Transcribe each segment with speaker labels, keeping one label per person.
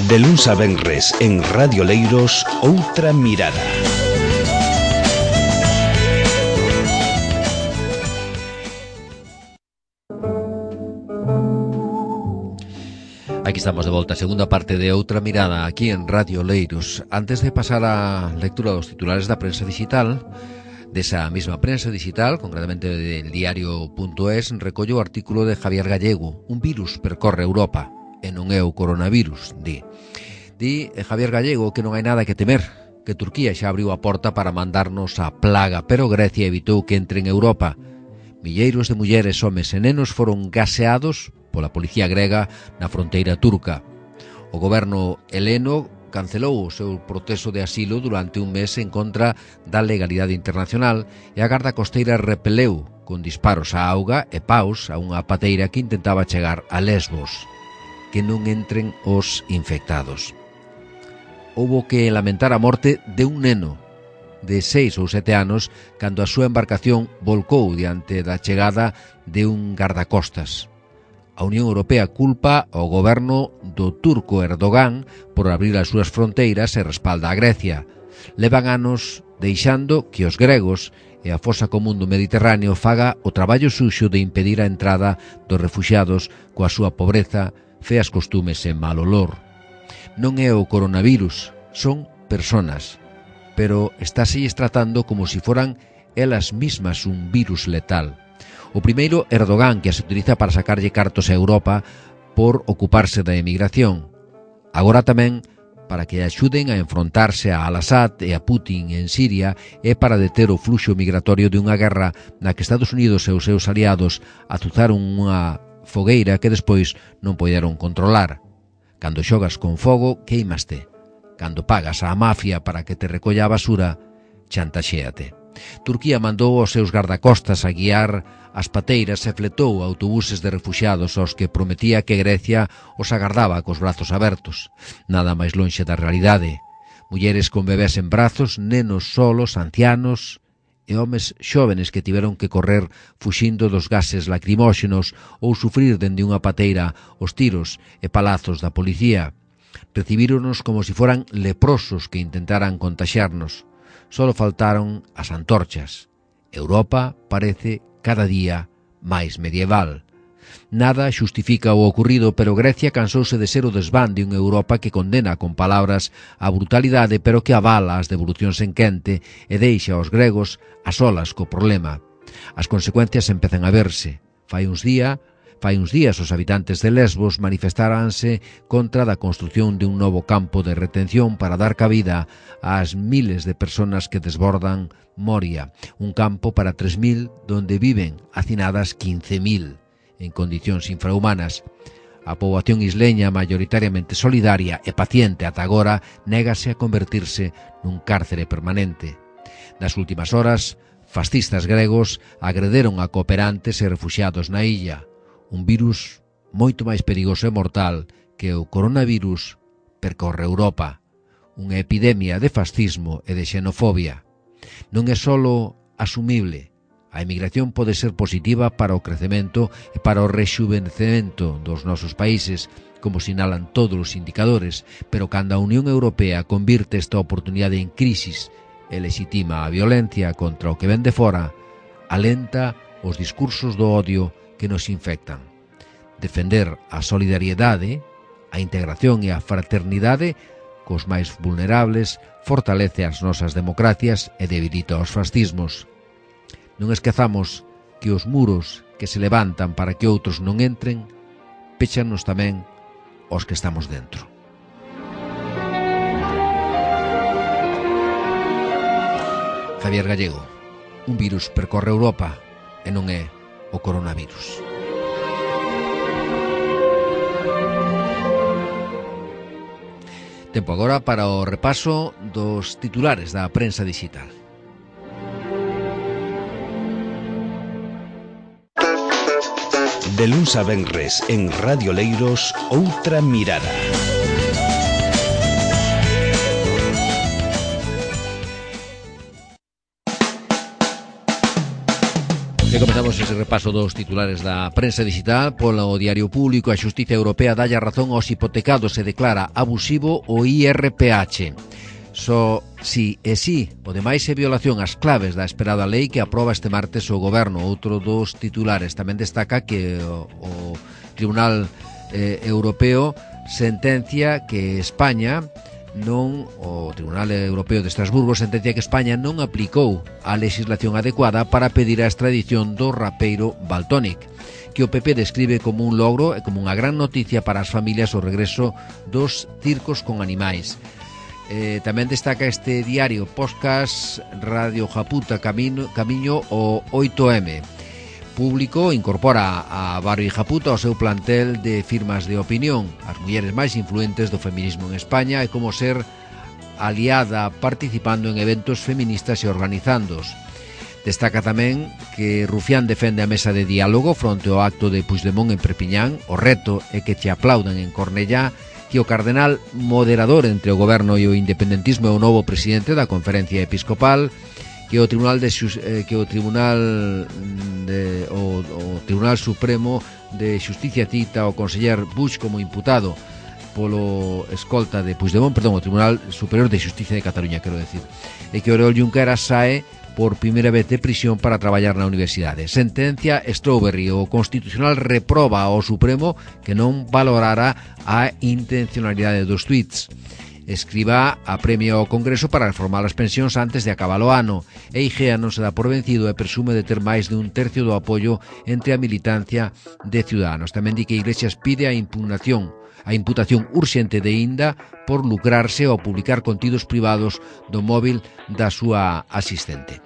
Speaker 1: De luns a venres en Radio Leiros, Outra Mirada.
Speaker 2: Aquí estamos de volta, segunda parte de Outra Mirada aquí en Radio Leiros. Antes de pasar á lectura dos titulares da prensa digital, desa mesma prensa digital, concretamente del diario.es, recollo o artículo de Javier Gallego. Un virus percorre Europa e non é o coronavirus, di. Di Javier Gallego que non hai nada que temer, que Turquía xa abriu a porta para mandarnos a plaga, pero Grecia evitou que entre en Europa. Milleiros de mulleres, homes e nenos foron gaseados pola policía grega na fronteira turca. O goberno heleno cancelou o seu proceso de asilo durante un mes en contra da legalidade internacional e a Garda Costeira repeleu con disparos á auga e paus a unha pateira que intentaba chegar a Lesbos. Que non entren os infectados. Houbo que lamentar a morte de un neno de 6 ou 7 anos cando a súa embarcación volcou diante da chegada de un gardacostas. A Unión Europea culpa ao goberno do turco Erdogan por abrir as súas fronteiras e respalda a Grecia. Levan anos deixando que os gregos e a fosa común do Mediterráneo faga o traballo suxo de impedir a entrada dos refuxiados coa súa pobreza, feas costumes e mal olor. Non é o coronavirus, son personas, pero estáselles tratando como si foran elas mismas un virus letal. O primeiro, Erdogan, que as utiliza para sacarlle cartos a Europa por ocuparse da emigración. Agora tamén para que axuden a enfrontarse a Al-Assad e a Putin en Siria e para deter o fluxo migratorio de unha guerra na que Estados Unidos e os seus aliados azuzaron unha fogueira que despois non poderon controlar. Cando xogas con fogo, queimaste. Cando pagas á mafia para que te recolla a basura, chantaxéate. Turquía mandou aos seus gardacostas a guiar as pateiras e fletou autobuses de refuxiados aos que prometía que Grecia os agardaba cos brazos abertos. Nada máis lonxe da realidade. Mulleres con bebés en brazos, nenos solos, ancianos e homes xóvenes que tiveron que correr fuxindo dos gases lacrimóxenos ou sufrir dende unha pateira os tiros e palazos da policía. Recibíronos como si foran leprosos que intentaran contaxiarnos. Solo faltaron as antorchas. Europa parece cada día máis medieval. Nada xustifica o ocurrido, pero Grecia cansouse de ser o desván de unha Europa que condena con palabras a brutalidade, pero que avala as devolucións en quente e deixa aos gregos a solas co problema. As consecuencias empezan a verse. Fai uns días os habitantes de Lesbos manifestaranse contra da construción de un novo campo de retención para dar cabida ás miles de personas que desbordan Moria, un campo para 3.000 donde viven hacinadas 15.000 en condicións infrahumanas. A poboación isleña, maioritariamente solidaria e paciente ata agora, négase a convertirse nun cárcere permanente. Nas últimas horas, fascistas gregos agrederon a cooperantes e refuxiados na illa. Un virus moito máis perigoso e mortal que o coronavirus percorre Europa. Unha epidemia de fascismo e de xenofobia. Non é solo asumible. A emigración pode ser positiva para o crecemento e para o rexuvenecemento dos nosos países, como sinalan todos os indicadores, pero cando a Unión Europea convirte esta oportunidade en crisis e legitima a violencia contra o que ven de fora, alenta os discursos do odio que nos infectan. Defender a solidariedade, a integración e a fraternidade cos máis vulnerables fortalece as nosas democracias e debilita os fascismos. Non esquezamos que os muros que se levantan para que outros non entren péchanos tamén os que estamos dentro. Javier Gallego. Un virus percorre Europa e non é o coronavirus. Tempo agora para o repaso dos titulares da prensa digital.
Speaker 1: De luns a venres en Radio Leiros, Outra Mirada.
Speaker 2: E comezamos ese repaso dos titulares da prensa digital. Polo Diario Público, a Xustiza Europea dalle a razón aos hipotecados e declara abusivo o IRPH. Só si e si, o demais é violación ás claves da esperada lei que aproba este martes o Goberno. Outro dos titulares tamén destaca que o Tribunal Europeo sentencia que España o Tribunal Europeo de Estrasburgo sentencia que España non aplicou a legislación adecuada para pedir a extradición do rapeiro Valtonyc, que o PP describe como un logro e como unha gran noticia para as familias o regreso dos circos con animais. Tamén destaca este diario podcast Radio Japuta Camiño o 8M. Público incorpora a Barrio Japuta ao seu plantel de firmas de opinión, as mulleres máis influentes do feminismo en España e como ser aliada participando en eventos feministas e organizándoos. Destaca tamén que Rufián defende a mesa de diálogo fronte ao acto de Puigdemont en Perpiñán. O reto é que te aplaudan en Cornellá, que o cardenal moderador entre o goberno e o independentismo é o novo presidente da Conferencia Episcopal, que o Tribunal Supremo de Xusticia cita o conseller Buch como imputado polo escolta de Puigdemont, o Tribunal Superior de Xusticia de Cataluña, quero decir, e que Oriol Junqueras sae por primeira vez de prisión para traballar na universidade. Sentencia Strawberry, o Constitucional reproba ao Supremo que non valorara a intencionalidade dos tweets. Escriba apremia ao Congreso para reformar as pensións antes de acabar o ano. E IGEA non se dá por vencido e presume de ter máis de un tercio do apoio entre a militancia de Ciudadanos. Tamén di que Iglesias pide a imputación urxente de Inda por lucrarse ao publicar contidos privados do móvil da súa asistente.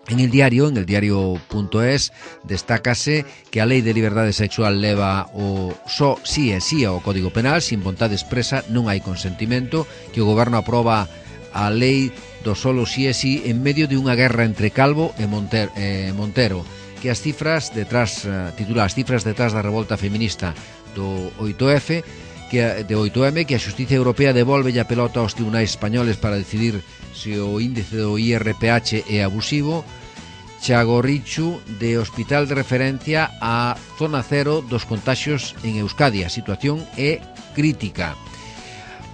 Speaker 2: En el diario.es, destácase que a Lei de Liberdade Sexual leva o só sí e sí ao Código Penal, sin vontade expresa non hai consentimento, que o Goberno aproba a Lei do solo sí e sí en medio de unha guerra entre Calvo e Montero, que as cifras detrás da revolta feminista do 8F, de 8M, que a Xustiza Europea devolve a pelota aos tribunais españoles para decidir se o índice do IRPH é abusivo. Chago Richu, de hospital de referencia a zona cero dos contaxios en Euskadi. A situación é crítica.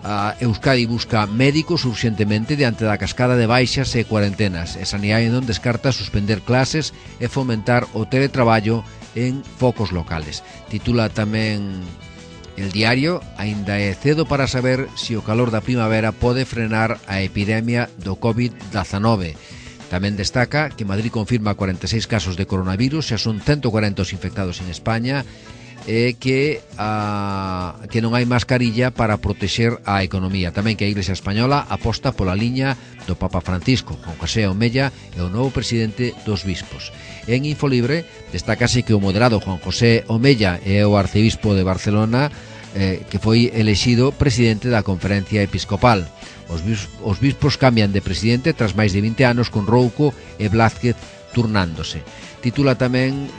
Speaker 2: A Euskadi busca médicos urxentemente diante da cascada de baixas e cuarentenas. E Sanidade non descarta suspender clases e fomentar o teletraballo en focos locales. Titula tamén El Diario: aínda é cedo para saber se o calor da primavera pode frenar a epidemia do COVID-19. Tamén destaca que Madrid confirma 46 casos de coronavirus, xa son 140 os infectados en España, e que non hai mascarilla para protexer a economía. Tamén que a Iglesia Española aposta pola liña do Papa Francisco. Juan José Omella é o novo presidente dos bispos. En Infolibre destácase que o moderado Juan José Omella é o arcebispo de Barcelona, que foi elexido presidente da Conferencia Episcopal. Os bispos cambian de presidente tras máis de 20 anos, con Rouco e Blázquez turnándose. Titula tamén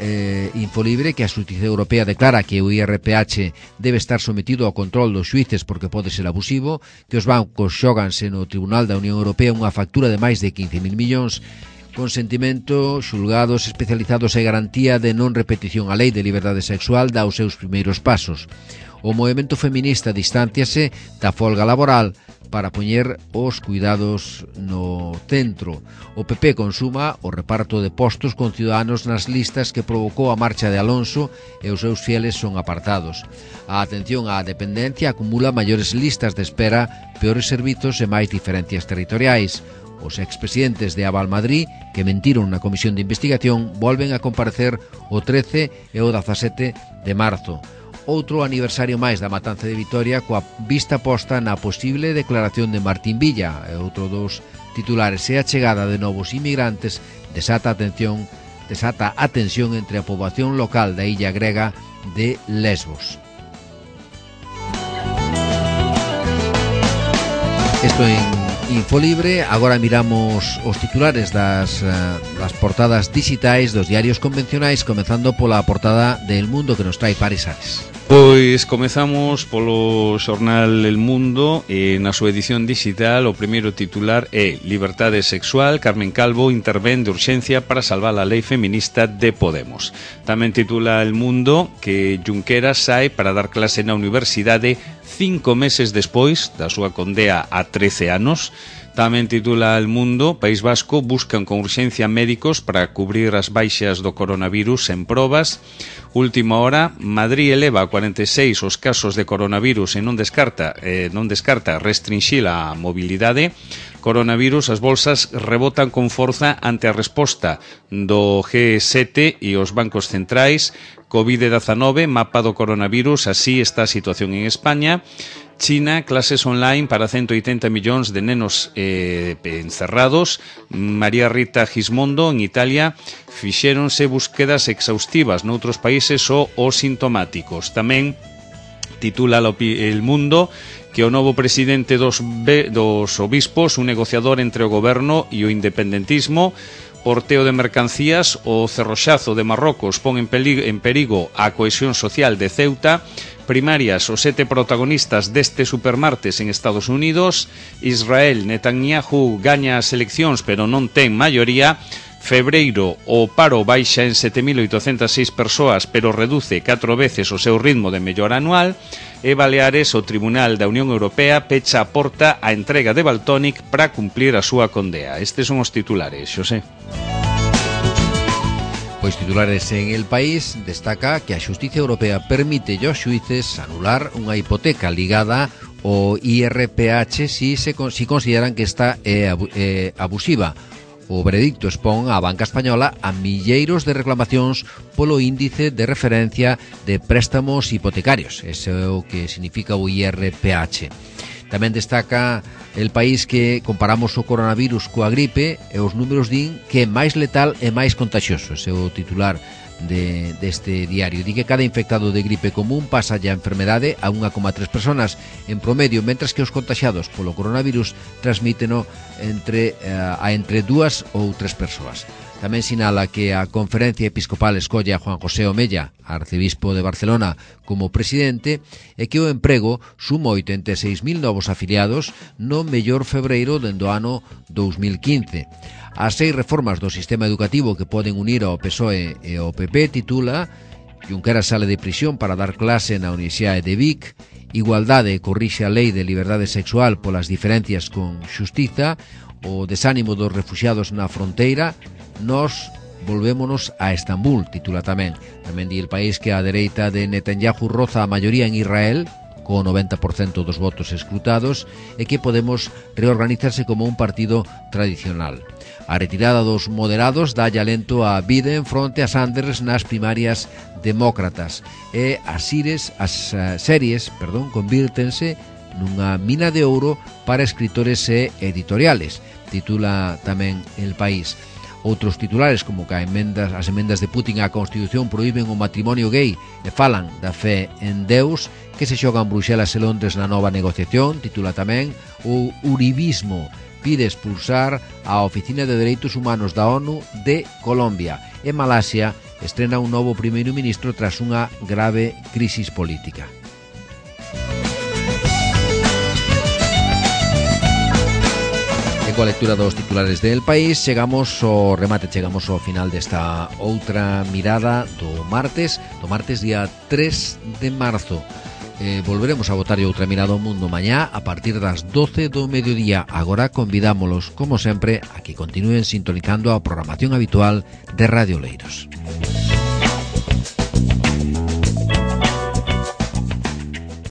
Speaker 2: Infolibre que a Xustiza Europea declara que o IRPH debe estar sometido ao control dos xuíces porque pode ser abusivo, que os bancos xóganse no Tribunal da Unión Europea unha factura de máis de 15.000 millóns, consentimento, xulgados especializados e garantía de non repetición. A Lei de Liberdade Sexual dá os seus primeiros pasos. O movemento feminista distánciase da folga laboral para poñer os cuidados no centro. O PP consuma o reparto de postos con Ciudadanos nas listas que provocou a marcha de Alonso e os seus fieles son apartados. A atención á dependencia acumula maiores listas de espera, peores servizos e máis diferencias territoriais. Os expresidentes de Aval Madrid, que mentiron na comisión de investigación, volven a comparecer o 13 e o 17 de marzo. Outro aniversario máis da matanza de Vitoria, coa vista posta na posible declaración de Martín Villa. E outro dos titulares é a chegada de novos inmigrantes desata atención entre a poboación local da illa grega de Lesbos. Isto en Infolibre. Agora miramos os titulares das portadas digitais dos diarios convencionais, comezando pola portada de El Mundo, que nos trae Paris Ares.
Speaker 3: Pois comezamos polo xornal El Mundo e na súa edición digital o primeiro titular é Liberdade sexual, Carmen Calvo intervén de urxencia para salvar a lei feminista de Podemos. Tamén titula El Mundo que Junqueras sae para dar clase na universidade 5 meses despois da súa condea a 13 anos. Tamén titula El Mundo, País Vasco buscan con urxencia médicos para cubrir as baixas do coronavirus en probas. Última hora, Madrid eleva a 46 os casos de coronavirus e non descarta restringir a mobilidade. Coronavirus, as bolsas rebotan con forza ante a resposta do G7 e os bancos centrais. COVID-19, mapa do coronavirus, así está a situación en España. China, clases online para 180 millóns de nenos encerrados. María Rita Gismondo, en Italia, fixéronse búsquedas exhaustivas noutros países ou sintomáticos. Tamén titula El Mundo que o novo presidente dos obispos, un negociador entre o goberno e o independentismo. Porteo de mercancías, o cerroxazo de Marrocos pon en perigo a cohesión social de Ceuta. Primarias, os 7 protagonistas deste supermartes en Estados Unidos. Israel, Netanyahu gaña as eleccións pero non ten maioría. Febreiro, o paro baixa en 7.806 persoas pero reduce 4 veces o seu ritmo de mellora anual. E Baleares, o Tribunal da Unión Europea pecha a porta á entrega de Valtònyc para cumplir a súa condea. Estes son os titulares, Xosé.
Speaker 2: Pois titulares en El País destaca que a Xustiza Europea permite aos xuíces anular unha hipoteca ligada ao IRPH si consideran que esta é abusiva. O veredicto expón á banca española a milleiros de reclamacións polo índice de referencia de préstamos hipotecarios. Ese é o que significa o IRPH. Tamén destaca El País que comparamos o coronavirus coa gripe e os números din que é máis letal e máis contagioso. Ese é o titular deste diario. Di que cada infectado de gripe común pasa a enfermedade a 1,3 personas en promedio, mentras que os contagiados polo coronavirus transmíteno entre 2 ou 3 persoas. Tamén sinala que a Conferencia Episcopal escolle a Juan José Omella, arcebispo de Barcelona, como presidente e que o emprego suma 86.000 novos afiliados no mellor febreiro dende o ano 2015. As 6 reformas do sistema educativo que poden unir ao PSOE e ao PP titula Junqueras sale de prisión para dar clase na Universidade de Vic. Igualdade corrixe a lei de liberdade sexual polas diferencias con xustiza. O desánimo dos refuxiados na fronteira. Nos volvémonos a Estambul, titula tamén. Tamén di El País que a dereita de Netanyahu roza a maioría en Israel, co 90% dos votos escrutados, e que Podemos reorganizarse como un partido tradicional. A retirada dos moderados dá alento a Biden fronte a Sanders nas primarias demócratas. E as series convírtense nunha mina de ouro para escritores e editoriales, titula tamén El País. Outros titulares, como que as emendas de Putin á Constitución proíben o matrimonio gay e falan da fe en Deus, que se xogan Bruxelas e Londres na nova negociación, titula tamén. O uribismo pide expulsar a Oficina de Dereitos Humanos da ONU de Colombia. E Malasia estrena un novo primeiro ministro tras unha grave crisis política. Coa lectura dos titulares del País chegamos ao final desta outra mirada do martes día 3 de marzo. Volveremos a botar outra mirada ao mundo mañá a partir das 12 do mediodía. Agora convidámolos, como sempre, a que continúen sintonizando a programación habitual de Radio Oleiros.